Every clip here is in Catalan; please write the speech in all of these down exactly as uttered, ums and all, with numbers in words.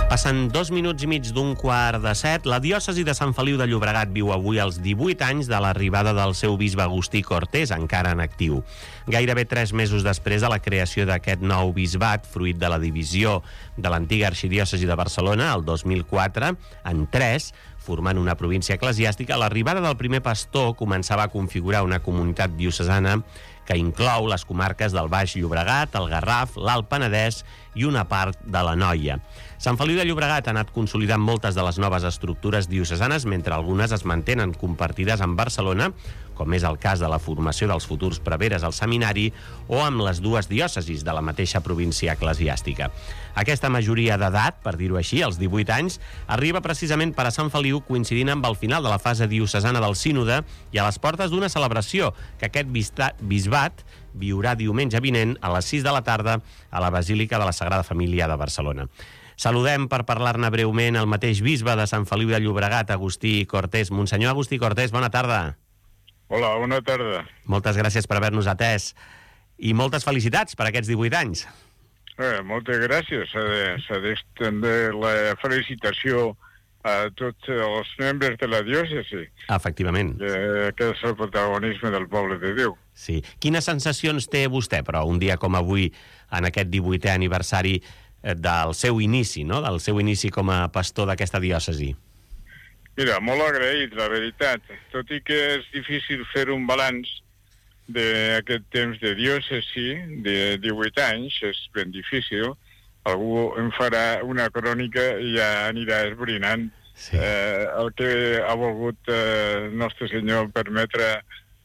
Passen dos minuts i mig d'un quart de set. La diòcesi de Sant Feliu de Llobregat viu avui els divuit anys de l'arribada del seu bisbe Agustí Cortés, encara en actiu. Gairebé tres mesos després de la creació d'aquest nou bisbat, fruit de la divisió de l'antiga arxidiòcesi de Barcelona, el dos mil quatre, en tres, formant una província eclesiàstica, l'arribada del primer pastor començava a configurar una comunitat diocesana que inclou les comarques del Baix Llobregat, el Garraf, l'Alt Penedès i una part de l'Anoia. Sant Feliu de Llobregat ha anat consolidant moltes de les noves estructures diocesanes, mentre algunes es mantenen compartides amb Barcelona, com és el cas de la formació dels futurs preveres al seminari, o amb les dues diòcesis de la mateixa província eclesiàstica. Aquesta majoria d'edat, per dir-ho així, als divuit anys, arriba precisament per a Sant Feliu, coincidint amb el final de la fase diocesana del sínode i a les portes d'una celebració que aquest bisbat viurà diumenge vinent a les sis de la tarda a la Basílica de la Sagrada Família de Barcelona. Saludem per parlar-ne breument el mateix bisbe de Sant Feliu de Llobregat, Agustí Cortés. Monsenyor Agustí Cortés, bona tarda. Hola, bona tarda. Moltes gràcies per haver-nos atès i moltes felicitats per aquests divuit anys. Eh, moltes gràcies. S'ha d'estendre la felicitació a tots els membres de la diòcesi. Efectivament. Eh, que és el protagonisme del poble de Déu. Sí. Quines sensacions té vostè, però, un dia com avui, en aquest divuitè aniversari del seu inici, no? Del seu inici com a pastor d'aquesta diòcesi? Mira, molt agraït, la veritat. Tot i que és difícil fer un balanç d'aquest temps de diòcesi, de divuit anys, és ben difícil. Algú en farà una crònica i ja anirà esbrinant sí. eh, el que ha volgut eh, Nostre Senyor permetre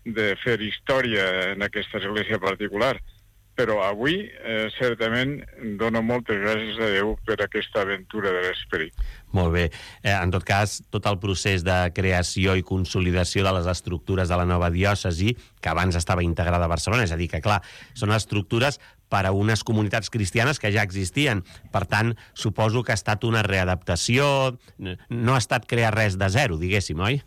de fer història en aquesta església particular. Però avui, eh, certament, dono moltes gràcies a Déu per aquesta aventura de l'esperit. Molt bé. Eh, en tot cas, tot el procés de creació i consolidació de les estructures de la nova diòcesi, que abans estava integrada a Barcelona, és a dir, que, clar, són estructures per a unes comunitats cristianes que ja existien. Per tant, suposo que ha estat una readaptació, no ha estat crear res de zero, diguéssim, oi?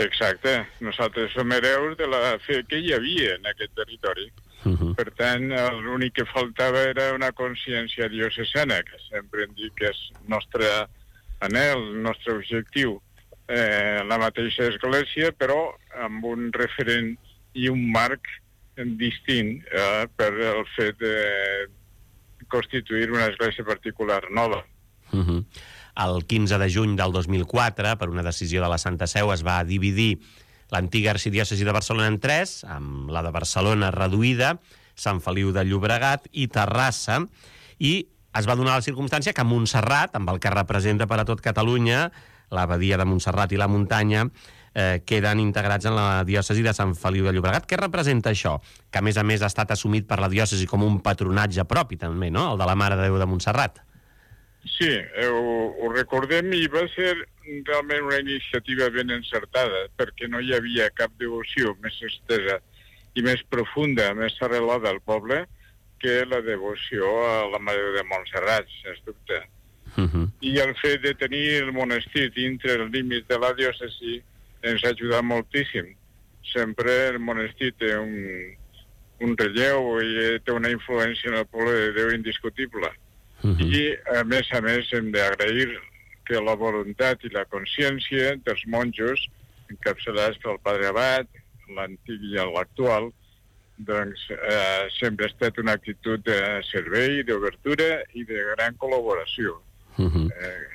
Exacte. Nosaltres som hereus de la fe que hi havia en aquest territori. Uh-huh. Per tant, l'únic que faltava era una consciència diocesana, que sempre hem dit que és el nostre anhel, el nostre objectiu, eh, la mateixa església, però amb un referent i un marc distint eh, per el fet de constituir una església particular nova. Uh-huh. El quinze de juny del dos mil quatre, per una decisió de la Santa Seu, es va dividir l'antiga arxidiòcesi de Barcelona en tres, amb la de Barcelona reduïda, Sant Feliu de Llobregat i Terrassa, i es va donar la circumstància que Montserrat, amb el que representa per a tot Catalunya, l'abadia de Montserrat i la muntanya, eh, queden integrats en la diòcesi de Sant Feliu de Llobregat. Què representa això? Que, a més a més, ha estat assumit per la diòcesi com un patronatge propi, també, no?, el de la Mare de Déu de Montserrat. Sí, ho, ho recordem i va ser realment una iniciativa ben encertada, perquè no hi havia cap devoció més estesa i més profunda, més arrelada al poble, que la devoció a la Mare de Montserrat, sens dubte. Uh-huh. I el fet de tenir el monestir dintre el límit de la diòcesi ens ha ajudat moltíssim. Sempre el monestir té un, un relleu i té una influència en el poble de Déu indiscutible. Uh-huh. I, a més a més, hem d'agrair que la voluntat i la consciència dels monjos, encapçalats pel Padre Abat, l'antic i l'actual, doncs eh, sempre ha estat una actitud de servei, d'obertura i de gran col·laboració. Uh-huh. Eh,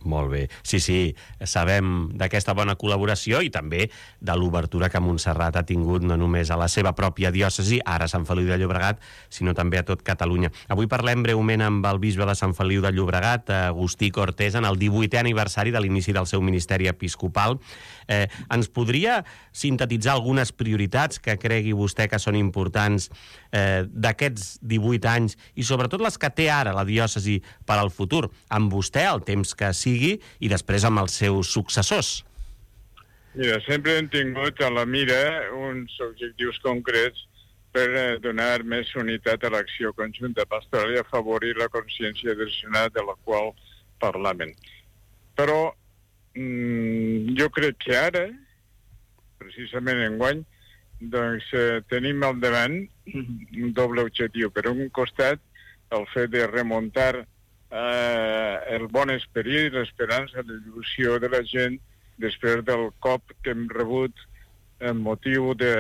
Molt bé. Sí, sí, sabem d'aquesta bona col·laboració i també de l'obertura que Montserrat ha tingut no només a la seva pròpia diòcesi, ara Sant Feliu de Llobregat, sinó també a tot Catalunya. Avui parlem breument amb el bisbe de Sant Feliu de Llobregat, Agustí Cortés, en el divuitè aniversari de l'inici del seu ministeri episcopal. Eh, ens podria sintetitzar algunes prioritats que cregui vostè que són importants eh, d'aquests divuit anys i sobretot les que té ara la diòcesi per al futur, amb vostè el temps que sigui i després amb els seus successors? Mira, sempre hem tingut a la mira uns objectius concrets per donar més unitat a l'acció conjunta pastoral i afavorir la consciència direccional de la qual parlaven. Però jo crec que ara, precisament enguany, doncs eh, tenim al davant un doble objectiu. Per un costat, el fet de remuntar eh, el bon esperit, l'esperança, la il·lusió de la gent després del cop que hem rebut en motiu de,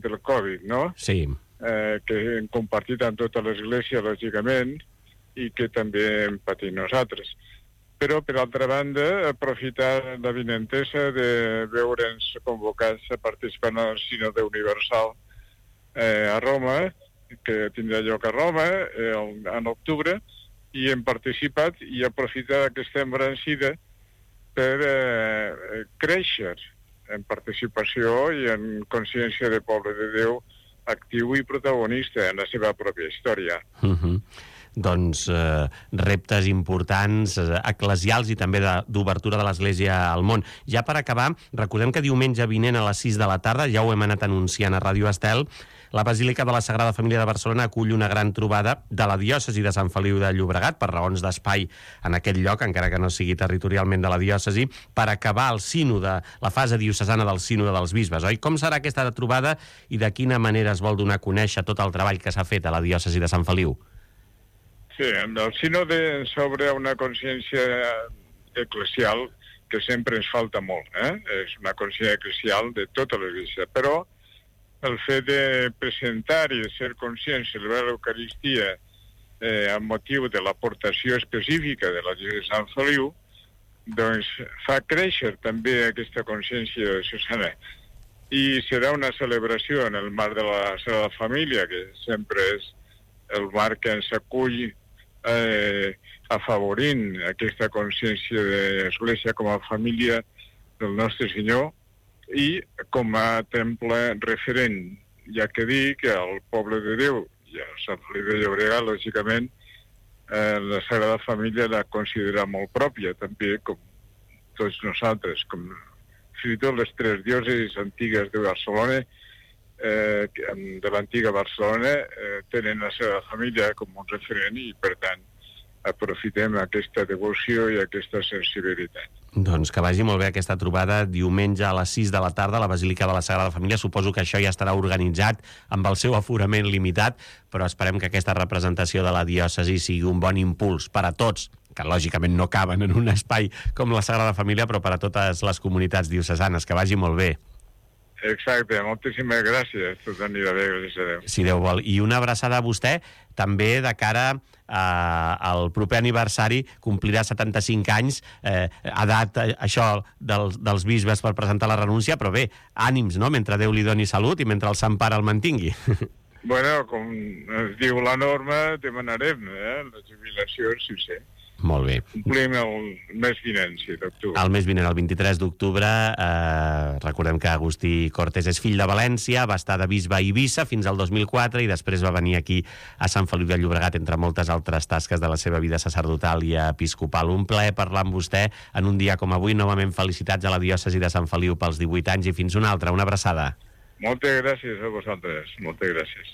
del Covid, no? Sí. Eh, que hem compartit amb tota l'Església, lògicament, i que també hem patit nosaltres. Però, per altra banda, aprofitar la vinentesa de veure'ns convocats a participar en el Sínode Universal eh, a Roma, que tindrà lloc a Roma eh, en octubre, i hem participat i aprofitar aquesta embranzida per eh, créixer en participació i en consciència de poble de Déu actiu i protagonista en la seva pròpia història. Uh-huh. Doncs eh, reptes importants, eh, eclesials i també d'obertura de, de l'Església al món. Ja per acabar, recordem que diumenge vinent a les sis de la tarda, ja ho hem anat anunciant a Ràdio Estel, la Basílica de la Sagrada Família de Barcelona acull una gran trobada de la diòcesi de Sant Feliu de Llobregat, per raons d'espai en aquest lloc, encara que no sigui territorialment de la diòcesi, per acabar el sínode, la fase diocesana del sínode dels bisbes, oi? Com serà aquesta trobada i de quina manera es vol donar a conèixer tot el treball que s'ha fet a la diòcesi de Sant Feliu? Sí, el sínode s'obre una consciència eclesial que sempre ens falta molt, eh? És una consciència eclesial de tota l'Església, però el fet de presentar i de ser conscients de l'Eucaristia eh, amb motiu de l'aportació específica de la Diòcesi de Sant Feliu, doncs fa créixer també aquesta consciència diocesana. I serà una celebració en el marc de la Sagrada Família, que sempre és el marc que ens acull eh, afavorint aquesta consciència de l'Església com a família del nostre Senyor, i com a temple referent, ja que dir que el poble de Déu i el Sant Feliu de Llobregat, lògicament, eh, la Sagrada Família la considera molt pròpia, també com tots nosaltres, com fins i tot les tres diòcesis antigues de Barcelona, eh, de l'antiga Barcelona, eh, tenen la Sagrada Família com un referent i, per tant, aprofitem aquesta devoció i aquesta sensibilitat. Doncs que vagi molt bé aquesta trobada diumenge a les sis de la tarda a la Basílica de la Sagrada Família. Suposo que això ja estarà organitzat amb el seu aforament limitat, però esperem que aquesta representació de la diòcesi sigui un bon impuls per a tots, que lògicament no caben en un espai com la Sagrada Família, però per a totes les comunitats diocesanes. Que vagi molt bé. Exacte, moltíssimes gràcies. Tot anirà bé, gràcies a Déu. Si Déu vol. I una abraçada a vostè, també de cara eh, al proper aniversari, complirà setanta-cinc anys, eh, edat, eh, això, dels, dels bisbes per presentar la renúncia, però bé, ànims, no?, mentre Déu li doni salut i mentre el Sant Pare el mantingui. Bueno, com es diu la norma, demanarem eh, la jubilació, sí, sí. Molt bé. Complim el mes vinent, sí, d'octubre. El mes vinent, el vint-i-tres d'octubre, eh, recordem que Agustí Cortés és fill de València, va estar de bisbe a Eivissa fins al dos mil quatre i després va venir aquí a Sant Feliu de Llobregat, entre moltes altres tasques de la seva vida sacerdotal i episcopal. Un plaer parlar amb vostè en un dia com avui. Novament felicitats a la diòcesi de Sant Feliu pels divuit anys i fins una altra. Una abraçada. Moltes gràcies a vosaltres. Moltes gràcies.